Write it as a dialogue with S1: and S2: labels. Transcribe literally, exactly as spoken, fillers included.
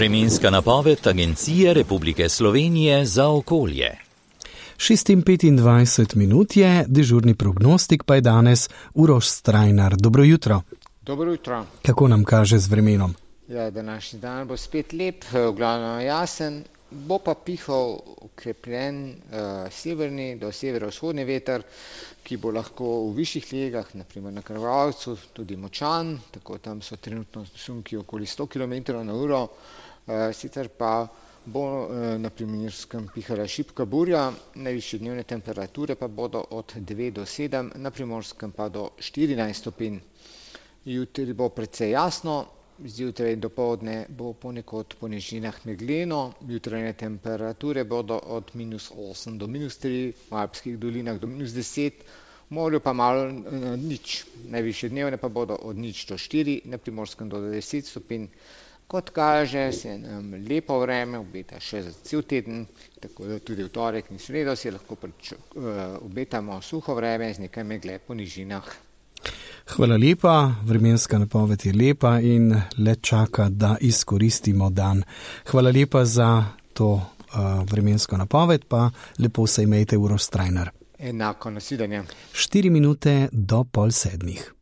S1: Vremenska napoved Agencije Republike Slovenije za okolje.
S2: šest in petindvajset minut je, dežurni prognostik pa je danes Uroš Strajnar. Dobro jutro.
S3: Dobro jutro.
S2: Kako nam kaže z vremenom?
S3: Ja, današnji dan bo spet lep, v glavnem jasen, bo pa pihal ukrepljen uh, severni do severovzhodni veter, ki bo lahko v višjih legah, naprimer na Krvavcu, tudi močan, tako tam so trenutno sunki okoli sto kilometrov na uro, uh, sicer pa bo uh, na Primorskem pihala šibka burja, najvišje dnevne temperature pa bodo od devet do sedem, na Primorskem pa do štirinajst stopinj. Jutri bo precej jasno, zjutraj do povdne bo ponekod po nižinah megleno, jutranje temperature bodo od minus osem do minus tri, v alpskih dolinah do minus deset, v morju pa malo eh, nič. Najvišje dnevne pa bodo od nič do štiri, na Primorskem do deset stopinj. Kot kaže, se nam lepo vreme obeta še za cel teden, tako da tudi v torek in sredo si lahko priču, eh, obetamo suho vreme z nekaj megle po nižinah.
S2: Hvala lepa, vremenska napoved je lepa in le čaka, da izkoristimo dan. Hvala lepa za to uh, vremensko napoved, pa lepo se imejte, Uroš Strajnar.
S3: Enako, nasvidenje.
S2: Štiri minute do pol sedmih.